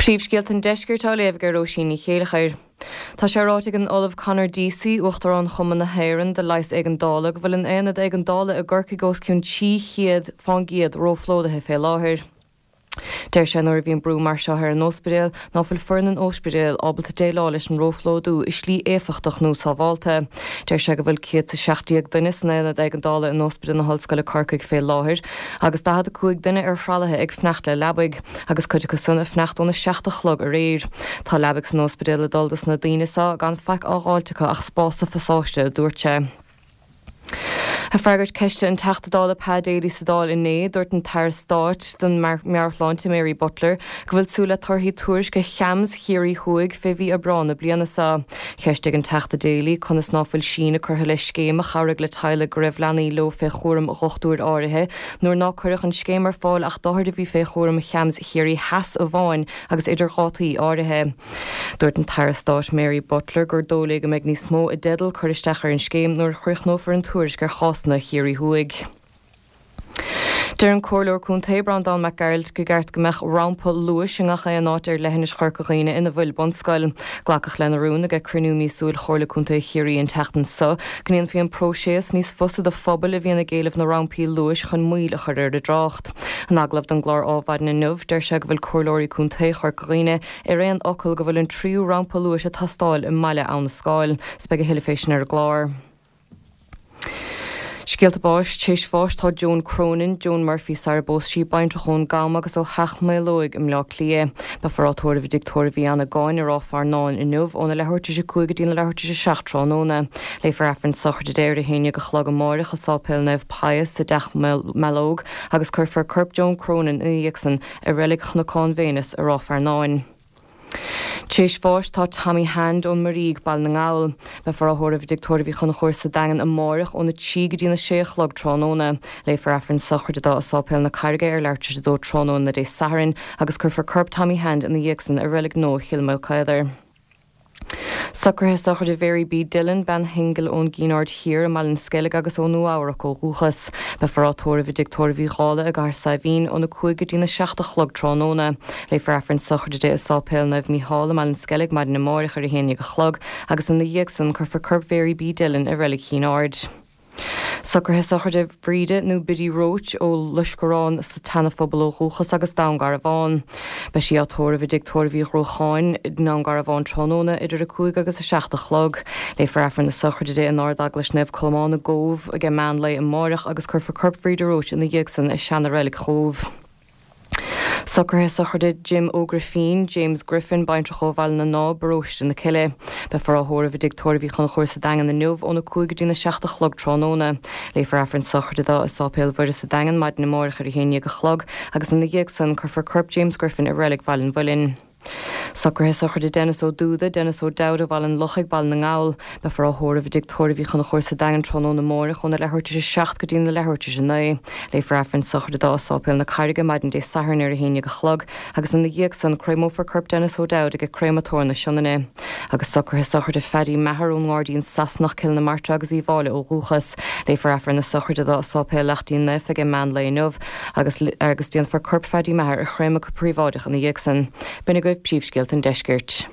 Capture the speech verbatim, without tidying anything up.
Príomhscéalta an Deiscirt á léamh ag Róisín Ní Chéilleachair. Tá sé ráite ag an Ollamh Conor Deasy Uachtarán Chumann na hÉireann do Leigheas Éigeandála go bhfuil an aonad éigeandála i gCorcaigh os cionn trí chéad faoin gcéad róphlódaithe fé láthair. Deir sé nuair a bhíonn brú mar seo ar an ospidéal ná fuil foireann an ospidéil ábalta déileáil leis an róphlódú i slí éifeachtach nó sábháilte. Deir sé go bhfuil céad is a seacht déag duine san aonad éigeandála in Ospidéal na hOllscoile Corcaigh fé láthair, agus daichead a cúig duine ar thralaithe ag fanacht le leabaidh, agus cuid acu san ag fanacht óna seacht a chlog aréir. Tá leabaidh san ospidéal ag dul dos na daoine seo gan faic á dh'fháilt acu ach spás sa phasáiste, a dúirt sé. Ag freagairt ceiste an Teachta Dála Pa Daly sa Dáil inné, dúirt an tAire Stáit don Meabhairshláinte Mary Butler go bhfuil súil le torthaí tuairisce CHAMS Chiarraí Thuaidh fé mhí Aibreán na bliana seo. Cheistigh an Teachta Daly conas ná fuil síneadh curtha le scéim a chabhraigh le teaghlaigh go raibh leanaí leo fé chúram dhochtúir áirithe nuair ná cuireadh an scéim ar fáil ach d'othair a bhí fé chúram CHAMS Chiarraí Theas amháin agus idir dhátaí áirithe. Dúirt an tAire Stáit Mary Butler gur dóigh léi go mbeidh níos mó i dteideal cur isteach ar an scéim nuair a chríochnófar an tuairisc ar chásanna Chiarraí Thuaidh. Deir an Comhairleoir Contae Breandán Mac Gearailt gur cheart go mbeadh rampa luais i ngach aon áit ar leithinis Chorca Dhuibhne ina bhfuil bunscoil. Glacadh lena rún ag cruinniú míosúil Chomhairle Contae Chiarraí an tseachtain seo, go ndéanfaí an próiseas níos fusa do phobail a bhíonn ag éileamh na rampaí luais chun moill a chur ar an dtrácht. In agallamh don gclár Adhmhaidin inniu, deir sé go bhfuil comhairleoirí contae Chorca Dhuibhne ar aon fhocal go bhfuil an tríú rampa luais ag teastáil i mbaile Abha na Scáil. 'S beidh a thuilleadh fé sin ar an gclár. Scéalta báis tar éis bháis tá Joan Cronin, Joan Murphy sara bpós sí baintreach ón gCam agus ó Theach Maolóig i mBleá Cliath. Beifear á tórramh i dTigh Tórraimh Uí Annagáin i Ráth Fearnáin inniu óna leathuair tar éis a cúig go dtí na leathuair tar éis a seacht tráthnóna. Léifear Aifreann sochraide di ar a haon déag a chlog amáireach i Sáipéal Naomh Pius i dTeach Mealóg agus cuirfear corp Joan Cronin ina dhiaidh san i reilig Chnocán Véineas i Ráth Fearnáin. Tar éis bháis tá Tommy Hand ón Muirígh Baile na nGall. Beifear á thórramh i dTigh Tórraimh Uí Chonchúir sa Daingean amáireach óna trí go dtí na sé a chlog tráthnóna. Léifear Aifreann sochraide dó i Sáipéal na Carraige ar leathuair tar éis a dó tráthnóna Dé Sathairn agus cuirfear corp Tommy Hand ina dhiaidh san i reilig nua Chill Maoilchaodair. Socruithe sochraide Mary B. Dillon, bean shingil ón gCinn Aird Thiar i mBaile an Sceilg agus ó Nua-Eabhrac ó dhúchas. Beifear á tórramh i dTigh Tórraimh Uí Dhálaigh i gCathair Saidhbhín óna cúig go dtí na seacht a chlog tráthnóna. Léifear Aifreann sochraide di i Sáipéal Naomh Mícheál i mBaile an Sceilg maidin amáireach ar a haon déag a chlog agus ina dhiaidh san cuirfear corp Mhary B. Dillon i reilig Chinn Aird. Socruithe sochraide Bhríde nó Biddy Roach ó Loiscearán sa tSeanaphobal ó dhúchas agus Dún Garbhán. Beidh sí á tórramh i dTigh Tórraimh Uí Ghruacháin i nDún Garbhán tráthnóna idir a cúig agus a seacht a chlog. Léifear Aifreann na sochraide di in Ard-Eaglais Naomh Colmán i gCóbh ag meán lae amáireach agus cuirfear corp Bhríde Roach ina dhiaidh san i seana-reilig Chóbh. Socruithe sochraide Jim Ó Grifín, James Griffin, baintreach ó Bhaile na Ná, Paróiste na Cille. Beifear á thórramh i dTigh Tórraimh Uí Chonchúir sa Daingean inniu óna cúig go dtí na seacht a chlog tráthnóna. Léifear Aifreann sochraide dó i Sáipéal Mhuire sa Daingean maidin amáireach ar a haon déag a chlog agus ina dhiaidh san cuirfear corp James Griffin i reilig Bhaile an Mhuilinn. Socruithe sochraide Dennis Ó Dúda, Dennis Ó Dowd ó Bhaile an Lochaigh, Baile na nGall. Beifear á thórramh i dTigh Tórraimh Uí Chonchúir sa Daingean tráthnóna amáireach óna leathuair tar éis a seacht go dtí na leathuair tar éis a naoi. Léifear Aifreann sochraide dó i Sáipéal na Carraige maidin Dé Sathairn ar a haon déag a chlog agus ina dhiaidh san créamófar corp Dennis O'Dowd ag Créamatóir na Sionainne. Agus socruithe sochraide Phaddy Maher ón nGairdín Sasanach Cill na Martra agus Uíbh Fhailí ó dhúchas. Léifear Aifreann na sochraide dó i Sáipéal Laichtín Naofa ag meán lae inniu agus agus déanfar corp Phaddy Maher a chréamadh go príobháideach ina dhiaidh san. B'in agaibh príomhscéalta an deiscirt.